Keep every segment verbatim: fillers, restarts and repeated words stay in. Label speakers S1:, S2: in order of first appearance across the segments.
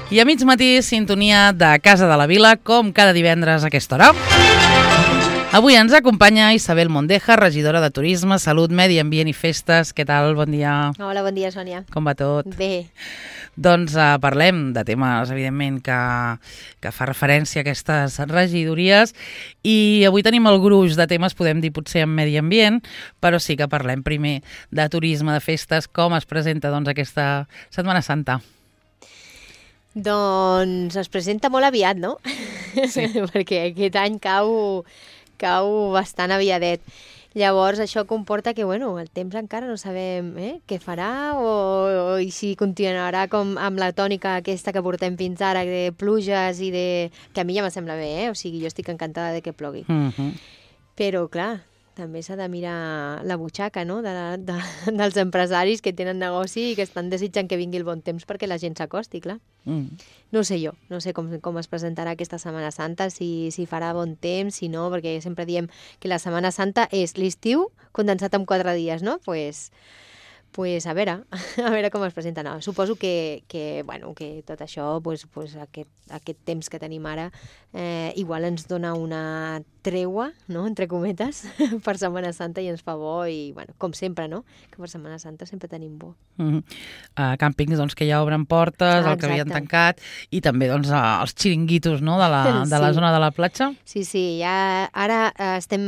S1: I a mig matí, sintonia de Casa de la Vila, com cada divendres a aquesta hora. Avui ens acompanya Isabel Mondeja, regidora de Turisme, Salut, Medi Ambient i Festes. Què tal? Bon dia.
S2: Hola, bon dia, Sònia.
S1: Com va tot?
S2: Bé.
S1: Doncs uh, parlem de temes, evidentment, que, que fa referència a aquestes regidories i avui tenim el gruix de temes, podem dir potser en medi ambient, però sí que parlem primer de turisme, de festes, com es presenta doncs, aquesta Setmana Santa.
S2: Doncs es presenta molt aviat, no?
S1: Sí.
S2: Perquè aquest any cau, cau bastant aviadet. Llavors, això comporta que, bueno, el temps encara no sabem eh, què farà o, o i si continuarà com amb la tònica aquesta que portem fins ara, de pluges i de... que a mi ja me sembla bé, eh? O sigui, jo estic encantada de que plogui.
S1: Mm-hmm.
S2: Però, clar, també s'ha de mirar la butxaca, no?, de, de, dels empresaris que tenen negoci i que estan desitjant que vingui el bon temps perquè la gent s'acosti, clar.
S1: Mm.
S2: No sé jo, no sé com, com es presentarà aquesta Setmana Santa, si, si farà bon temps, si no, perquè sempre diem que la Setmana Santa és l'estiu condensat en quatre dies, no? Pues, pues a veure, a veure com es presenta. No, suposo que, que, bueno, que tot això, pues, pues aquest, aquest temps que tenim ara, eh, igual ens dona una treua, no?, entre cometes, per Setmana Santa i ens fa bo i, bueno, com sempre, no?, que per Setmana Santa sempre tenim bo.
S1: Mm-hmm. uh, càmpings doncs, que ja obren portes, ah, el que havien tancat, i també doncs, uh, els xiringuitos, no?, de la, de la
S2: sí.
S1: zona de la platja.
S2: Sí, sí, ja ara uh, estem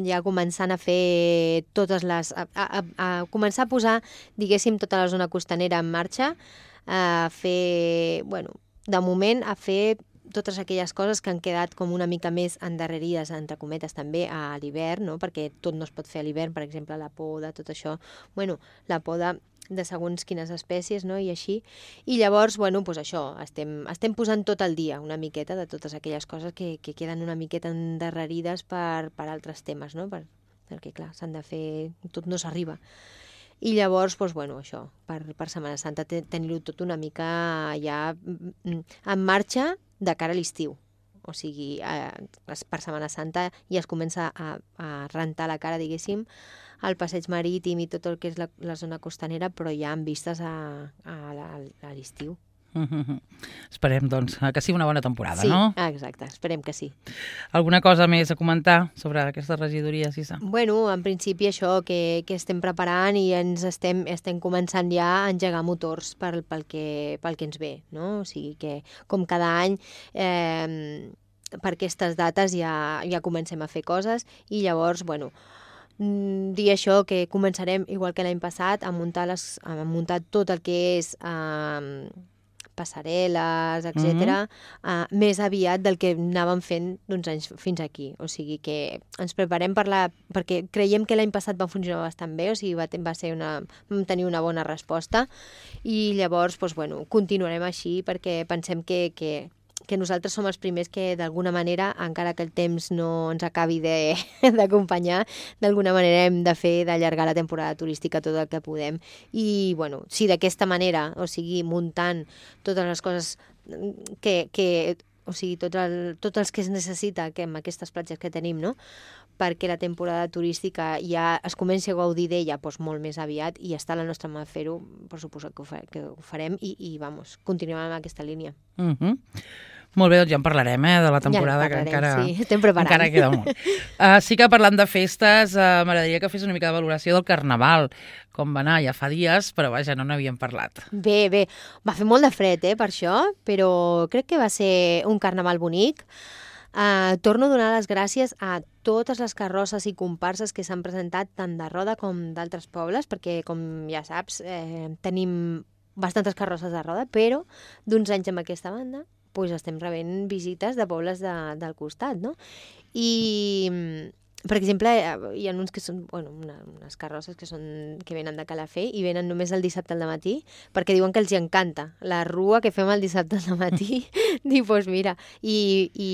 S2: ja començant a fer totes les... a, a, a començar a posar, diguéssim, tota la zona costanera en marxa, a fer, bueno, de moment a fer totes aquelles coses que han quedat com una mica més endarrerides, entre cometes, també a l'hivern, no?, perquè tot no es pot fer a l'hivern, per exemple, la poda, tot això, bueno, la poda de segons quines espècies, no?, i així. I llavors, bueno, doncs això, estem, estem posant tot el dia una miqueta de totes aquelles coses que, que queden una miqueta endarrerides per, per altres temes, no?, per, perquè, clar, s'han de fer... tot no s'arriba. I llavors, doncs, bueno, això, per, per Setmana Santa tenir-ho tot una mica ja en marxa de cara a l'estiu. O sigui, eh, per Setmana Santa ja es comença a, a rentar la cara, diguéssim, al passeig marítim i tot el que és la, la zona costanera, però ja amb vistes a, a, a l'estiu.
S1: Mm-hmm. Esperem, doncs, que sigui una bona temporada,
S2: sí,
S1: no?
S2: Sí, exacte, esperem que sí.
S1: Alguna cosa més a comentar sobre aquestes regidories, Isa?
S2: Bueno, en principi això, que, que estem preparant i ens estem, estem començant ja a engegar motors pel, pel, que, pel que ens ve, no? O sigui que, com cada any, eh, per aquestes dates ja, ja comencem a fer coses i llavors, bueno, dir això, que començarem, igual que l'any passat, a muntar, les, a muntar tot el que és... Eh, passarel·les, etcètera, mm-hmm. uh, més aviat del que anàvem fent d'uns anys fins aquí. O sigui que ens preparem per la... perquè creiem que l'any passat va funcionar bastant bé, o sigui, va, va ser una... vam tenir una bona resposta i llavors, doncs, bueno, continuarem així perquè pensem que, que, que nosaltres som els primers que, d'alguna manera, encara que el temps no ens acabi d'acompanyar, d'alguna manera hem de fer d'allargar la temporada turística tot el que podem. I, bueno, si d'aquesta manera, o sigui, muntant totes les coses que... que o sigui, tots, el, tots els que es necessita que amb aquestes platges que tenim, no?, perquè la temporada turística ja es comenci a gaudir d'ella doncs, molt més aviat i està a la nostra mà fer-ho, per suposat que ho, fa, que ho farem i, i vamos, continuem amb aquesta línia.
S1: Mhm. Molt bé, doncs ja en parlarem, eh, de la temporada,
S2: ja parlarem,
S1: que encara,
S2: sí, estem preparant.
S1: encara queda molt. Uh, sí que parlant de festes, uh, m'agradaria que fes una mica de valoració del Carnaval, com va anar, ja fa dies, però vaja, no n'havíem parlat.
S2: Bé, bé, va fer molt de fred, eh, per això, però crec que va ser un Carnaval bonic. Uh, torno a donar les gràcies a totes les carrosses i comparses que s'han presentat tant de Roda com d'altres pobles, perquè, com ja saps, eh, tenim bastantes carrosses de Roda, però d'uns anys amb aquesta banda pues estem rebent visites de pobles de, del costat, no? I, per exemple, hi ha uns que són, bueno, una, unes carrosses que, són, que venen de Calafell i venen només el dissabte al matí, perquè diuen que els hi encanta la rua que fem el dissabte al matí. Dic, doncs mira, i, i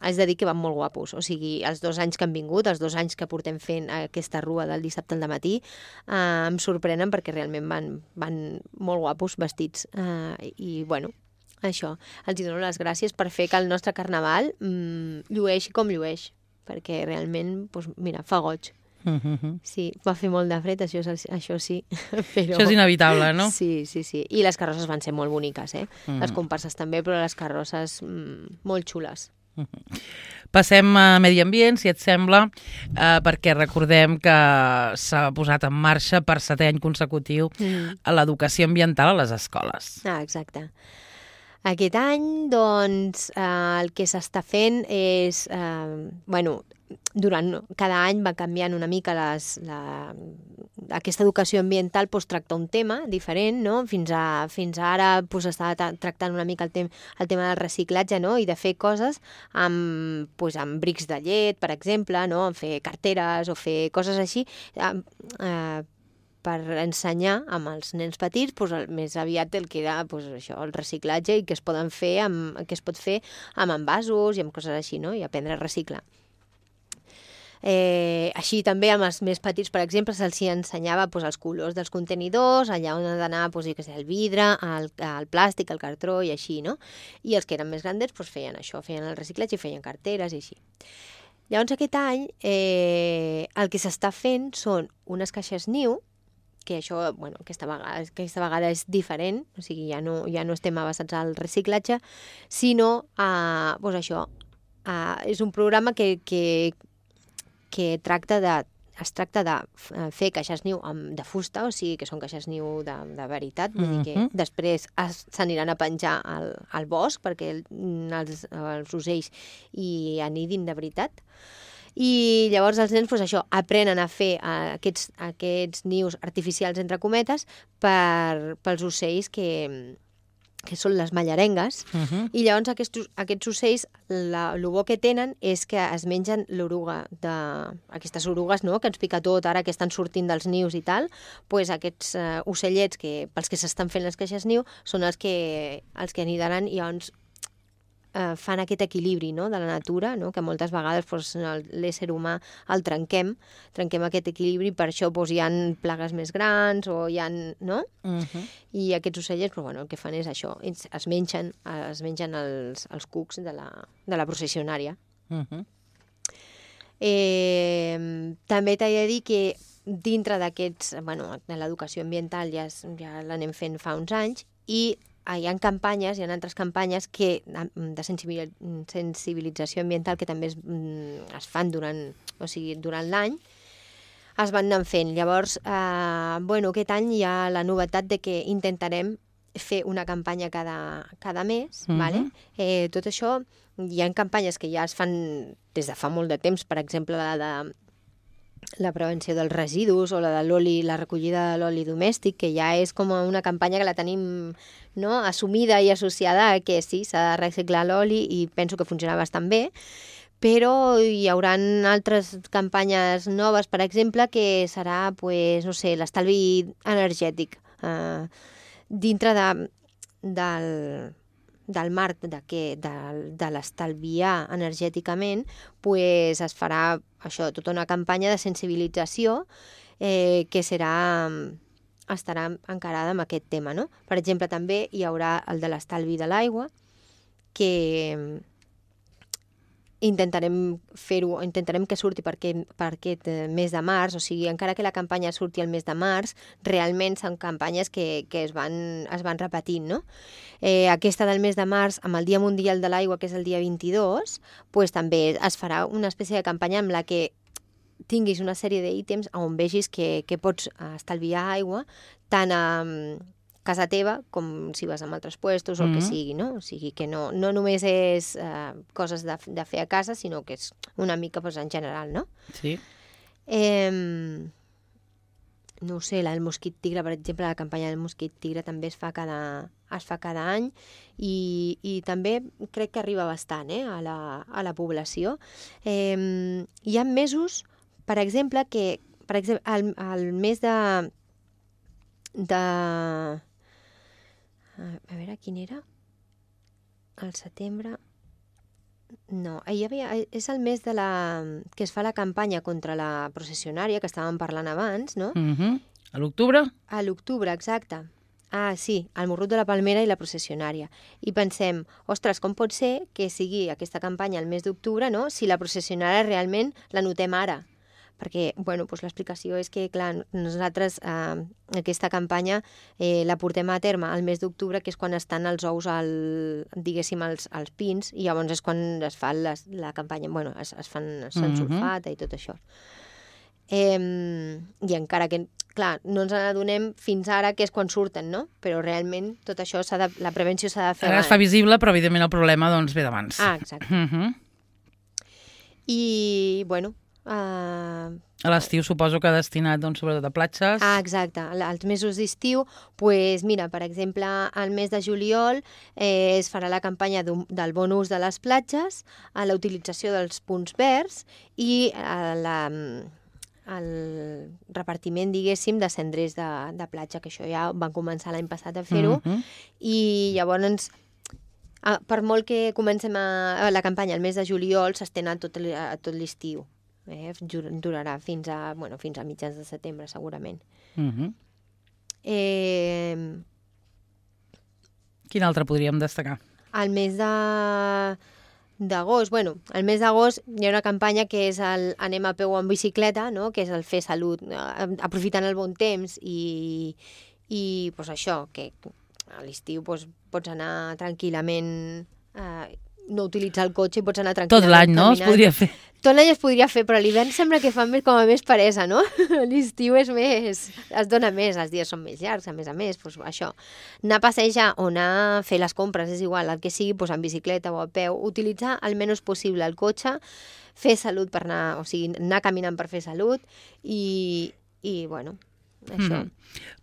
S2: haig de dir que van molt guapos. O sigui, els dos anys que han vingut, els dos anys que portem fent aquesta rua del dissabte al matí, eh, em sorprenen perquè realment van, van molt guapos vestits. Eh, I, bueno, això, els dono les gràcies per fer que el nostre carnaval mmm, llueixi com llueix, perquè realment, doncs, mira, fa goig.
S1: Uh-huh.
S2: Sí, va fer molt de fred, això, és, això sí. Però...
S1: Això és inevitable, no?
S2: Sí, sí, sí. I les carrosses van ser molt boniques, eh?
S1: Uh-huh.
S2: Les comparses també, però les carrosses mm, molt xules.
S1: Uh-huh. Passem a Medi Ambient, si et sembla, eh, perquè recordem que s'ha posat en marxa per setè any consecutiu mm. a l'educació ambiental a les escoles.
S2: Ah, exacte. Aquest any, doncs, eh, el que s'està fent és... Eh, bueno, durant cada any va canviant una mica les, la, aquesta educació ambiental, doncs, tracta un tema diferent, no? Fins, a, fins a ara doncs, estava tractant una mica el, tem el tema del reciclatge, no? I de fer coses amb, doncs, amb brics de llet, per exemple, no? Fer carteres o fer coses així, eh, eh, per ensenyar amb els nens petits doncs, el, més aviat el que era doncs, això, el reciclatge i que es poden fer amb, que es pot fer amb envasos i amb coses així, no? I aprendre a reciclar. Eh, així també amb els més petits, per exemple, se'ls ensenyava doncs, els colors dels contenidors, allà on ha d'anar doncs, el vidre, el, el plàstic, el cartró i així, no? I els que eren més grandets doncs, feien això, feien el reciclatge i feien carteres i així. Llavors aquest any eh, el que s'està fent són unes caixes niu, que això, bueno, aquesta vegada, aquesta vegada és diferent, o sigui, ja no, ja no estem avançats al reciclatge, sinó, a, doncs això, a, és un programa que, que, que tracta de, es tracta de fer caixes niu de fusta, o sigui, que són caixes niu de, de veritat, vull dir que uh-huh. després s'aniran a penjar al, al bosc perquè els, els ocells hi anidin de veritat. I llavors els nens doncs, això, aprenen a fer uh, aquests, aquests nius artificials, entre cometes, per, pels ocells que, que són les mallarengues. Uh-huh. I llavors aquests, aquests ocells, la, el bo que tenen és que es mengen l'oruga, de, aquestes orugues, no?, que ens pica tot ara que estan sortint dels nius i tal, doncs aquests uh, ocellets que, pels que s'estan fent les caixes niu són els que, els que anidaran i llavors Eh, fan aquest equilibri, no?, de la natura, no?, que moltes vegades doncs, l'ésser humà el trenquem, trenquem aquest equilibri, per això doncs, hi ha plagues més grans o hi ha, no? Uh-huh. I aquests ocellets, doncs, bueno, el que fan és això, es mengen, es mengen els, els cucs de la, de la processionària. Uh-huh. eh, també t'he de dir que dintre d'aquests, bueno, de l'educació ambiental ja, ja l'anem fent fa uns anys i hi ha campanyes, hi ha altres campanyes que, de sensibilització ambiental que també es, es fan durant, o sigui, durant l'any, es van anar fent. Llavors, eh, bueno, aquest any hi ha la novetat de que intentarem fer una campanya cada, cada mes, uh-huh. vale? eh, tot això, hi ha campanyes que ja es fan des de fa molt de temps, per exemple, la de la prevenció dels residus o la de l'oli, la recollida de l'oli domèstic, que ja és com una campanya que la tenim, no?, assumida i associada a que sí, s'ha de reciclar l'oli i penso que funciona bastant bé, però hi haurà altres campanyes noves, per exemple, que serà, pues, no sé, l'estalvi energètic. Eh, dintre de, del... del marc de, que, de, de l'estalviar energèticament, pues es farà això, tota una campanya de sensibilització eh, que serà, estarà encarada amb aquest tema, no? Per exemple, també hi haurà el de l'estalvi de l'aigua, que intentarem fer-ho, intentarem que surti per aquest, per aquest mes de març, o sigui, encara que la campanya surti el mes de març, realment són campanyes que, que es, van, es van repetint, no? Eh, aquesta del mes de març, amb el Dia Mundial de l'Aigua, que és el dia vint-i-dos, pues, també es farà una espècie de campanya amb la que tinguis una sèrie d'ítems on vegis que, que pots estalviar aigua tant a casa teva com si vas a altres puestos o el mm-hmm. que sigui, no? O sigui que no, no només és eh, coses de, de fer a casa, sinó que és una mica pues, en general, no?
S1: Sí.
S2: Eh, no ho sé, la del mosquit tigre, per exemple, la campanya del mosquit tigre també es fa cada, es fa cada any i, i també crec que arriba bastant eh, a, la, a la població. Eh, hi ha mesos, per exemple, que per exemple, al, al mes de... de a veure, quin era? Al setembre... No, hi havia, és el mes de la, que es fa la campanya contra la processionària, que estàvem parlant abans, no?
S1: Mm-hmm. A l'octubre?
S2: A l'octubre, exacte. Ah, sí, el morrut de la palmera i la processionària. I pensem, ostres, com pot ser que sigui aquesta campanya el mes d'octubre, no?, si la processionària realment la notem ara? perquè bueno, doncs l'explicació és que, clar, nosaltres eh, aquesta campanya eh, la portem a terme al mes d'octubre, que és quan estan els ous, al, diguéssim, als, als pins, i llavors és quan es fa les, la campanya, bueno, es, es fan se'n
S1: Mhm.
S2: sulfata i tot això. Eh, I encara que, clar, no ens n'adonem fins ara, que és quan surten, no? Però realment tot això, s'ha de, la prevenció s'ha de fer
S1: Ara es fa visible, però evidentment el problema doncs, ve d'abans.
S2: Ah, exacte.
S1: Mhm.
S2: I, bueno... Uh...
S1: A l'estiu suposo que destinat, doncs, sobretot a platges.
S2: Ah, exacte. Els mesos d'estiu, pues, mira, per exemple, al mes de juliol eh, es farà la campanya del bon ús de les platges, a la utilització dels punts verds i a la, el repartiment, diguéssim, de cendrers de, de platja, que això ja van començar l'any passat a fer-ho,
S1: Mhm.
S2: i llavors, ah, per molt que comencem a, a la campanya el mes de juliol, s'estén a tot, l- a tot l'estiu. Eh? Durarà fins a, bueno, fins a mitjans de setembre, segurament.
S1: Mhm.
S2: Eh,
S1: Quin altre podríem destacar?
S2: al mes de d'agost, bueno, al mes d'agost hi ha una campanya que és el Anem a peu o en bicicleta, no? Que és el fer salut, eh, aprofitant el bon temps i, i pues això, que a l'estiu pues, pots anar tranquil·lament, eh, no utilitzar el cotxe i pots anar tranquil·lament
S1: Tot l'any, no? Es
S2: caminant.
S1: podria fer.
S2: Tot l'any es podria fer, però a l'hivern sembla que fa més, com a més peresa, no? L'estiu és més... es dona més, els dies són més llargs, a més a més, doncs això. Anar a passejar o anar a fer les compres, és igual, el que sigui, doncs en bicicleta o a peu, utilitzar el menys possible el cotxe, fer salut per anar, o sigui, anar caminant per fer salut i, i bueno, això.
S1: Mhm.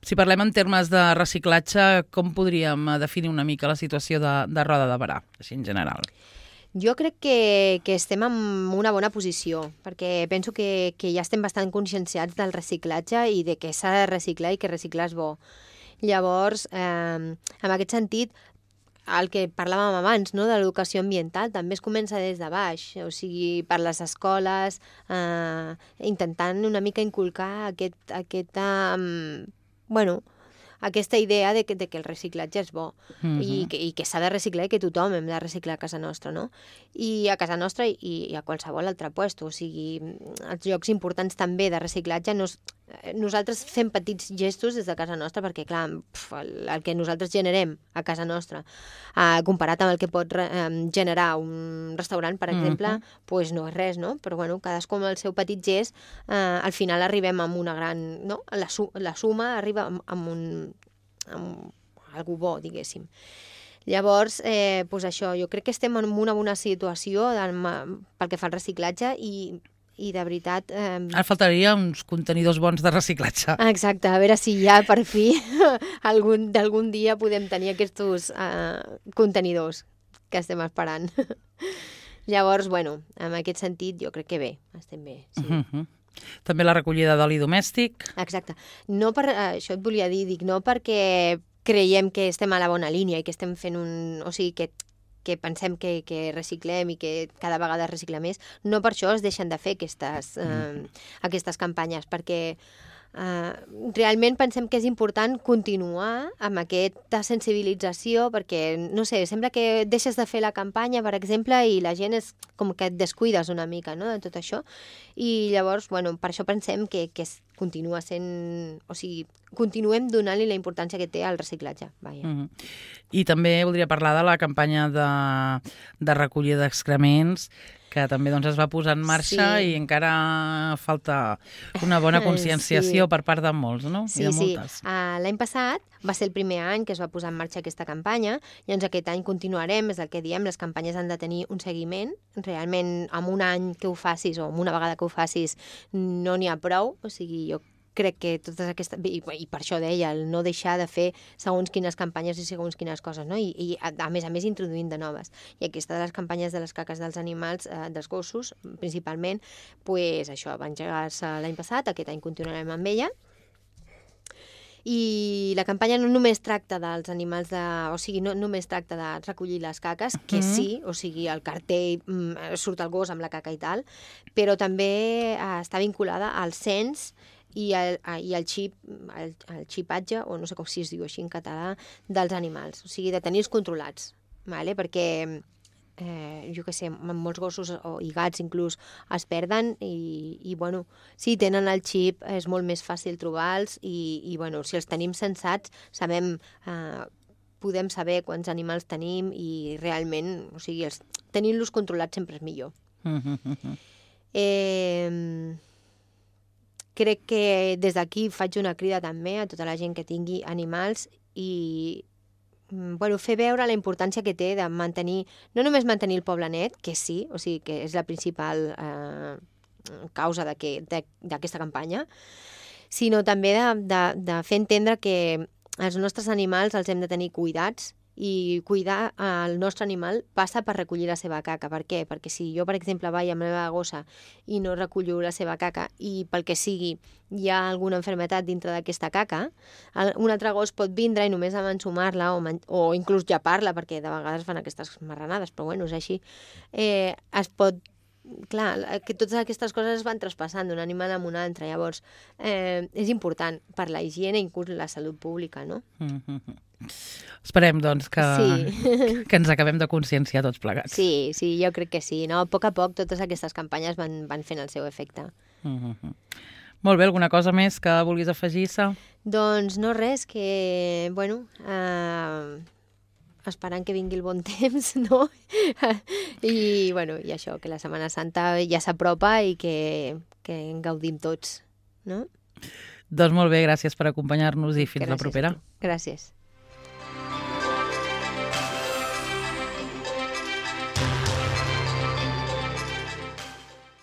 S1: Si parlem en termes de reciclatge, com podríem eh, definir una mica la situació de, de Roda de Berà, així en general?
S2: Jo crec que, que estem en una bona posició, perquè penso que, que ja estem bastant conscienciats del reciclatge i de que s'ha de reciclar i que reciclar és bo. Llavors, eh, en aquest sentit, el que parlàvem abans, no, de l'educació ambiental, també es comença des de baix, o sigui, per les escoles, eh, intentant una mica inculcar aquest, aquest, eh, bueno, aquesta idea de que, de que el reciclatge és bo
S1: Mhm.
S2: i que, i que s'ha de reciclar i que tothom hem de reciclar a casa nostra, no? I a casa nostra i, i a qualsevol altre puesto, o sigui, els llocs importants també de reciclatge, nos, nosaltres fem petits gestos des de casa nostra perquè, clar, pf, el, el que nosaltres generem a casa nostra, eh, comparat amb el que pot eh, generar un restaurant, per exemple,
S1: Mhm.
S2: pues no és res, no? Però, bueno, cadascú amb el seu petit gest, eh, al final arribem amb una gran... No? La, su la suma arriba amb, amb un amb algú bo, diguéssim. Llavors, eh, doncs això, jo crec que estem en una bona situació del, pel que fa al reciclatge i, i de veritat... Eh...
S1: Ara faltaria uns contenidors bons de reciclatge.
S2: Exacte, a veure si ja per fi algun d'algun dia podem tenir aquests eh, contenidors que estem esperant. Llavors, bueno, en aquest sentit jo crec que bé, estem bé, sí.
S1: Uh -huh. També la recollida d'oli domèstic.
S2: Exacte. No per, això et volia dir, dic, no perquè creiem que estem a la bona línia i que estem fent un... O sigui, que, que pensem que, que reciclem i que cada vegada es recicla més, no per això es deixen de fer aquestes, eh, aquestes campanyes, perquè Uh, realment pensem que és important continuar amb aquesta sensibilització perquè, no sé, sembla que deixes de fer la campanya, per exemple, i la gent és com que et descuides una mica, no?, de tot això, i llavors, bueno, per això pensem que, que es continua sent... O sigui, continuem donant-li la importància que té al reciclatge, vaja.
S1: Uh -huh. I també voldria parlar de la campanya de, de recollida d'excrements, que també doncs, es va posar en marxa
S2: Sí.
S1: i encara falta una bona conscienciació
S2: Sí.
S1: per part de molts, no?
S2: Sí,
S1: I de
S2: sí.
S1: moltes.
S2: Uh, l'any passat va ser el primer any que es va posar en marxa aquesta campanya i doncs aquest any continuarem, és el que diem, les campanyes han de tenir un seguiment. Realment, amb un any que ho facis o amb una vegada que ho facis no n'hi ha prou, o sigui, jo crec que totes aquestes... I, i per això deia, el no deixar de fer segons quines campanyes i segons quines coses, no? I, i a, a més a més introduint de noves. I aquesta de les campanyes de les caques dels animals, eh, dels gossos, principalment, pues això, va engegar-se l'any passat, aquest any continuarem amb ella. I la campanya no només tracta dels animals de... O sigui, no només tracta de recollir les caques, que
S1: Mhm.
S2: sí, o sigui, el cartell mm, surt el gos amb la caca i tal, però també eh, està vinculada al cens i el, i el xip, el, el xipatge, o no sé com si es diu així en català, dels animals, o sigui, de tenir-los controlats, vale? Perquè eh, jo què sé, molts gossos o, i gats inclús es perden i, i bueno, si tenen el xip és molt més fàcil trobar-los i, i bueno, si els tenim censats sabem, eh, podem saber quants animals tenim i realment, o sigui, els, tenint-los controlats sempre és millor. eh, crec que des d'aquí faig una crida també a tota la gent que tingui animals i bueno, fer veure la importància que té de mantenir, no només mantenir el poble net, que sí, o sigui que és la principal eh, causa d'aquesta campanya, sinó també de, de, de fer entendre que els nostres animals els hem de tenir cuidats i cuidar el nostre animal passa per recollir la seva caca. Per què? Perquè si jo, per exemple, vaig amb la meva gossa i no recullo la seva caca i pel que sigui hi ha alguna malaltia dintre d'aquesta caca, un altre gos pot vindre i només amb ensumar-la o, o inclús llepar-la, perquè de vegades fan aquestes marranades, però bueno, és així, eh, es pot clar, que totes aquestes coses es van traspassant d'un animal a un altre, llavors eh, és important per la higiene i inclús la salut pública, no?
S1: Mm-hmm. Esperem, doncs, que, sí. que ens acabem de conscienciar tots plegats.
S2: Sí, sí, jo crec que sí. No? A poc a poc totes aquestes campanyes van, van fent el seu efecte.
S1: Mm-hmm. Molt bé, alguna cosa més que vulguis afegir-se?
S2: Doncs no res, que, bueno, eh, esperant que vingui el bon temps, no? I, bueno, i això, que la Setmana Santa ja s'apropa i que, que en gaudim tots, no?
S1: Doncs molt bé, gràcies per acompanyar-nos i fins
S2: gràcies
S1: la propera.
S2: Gràcies.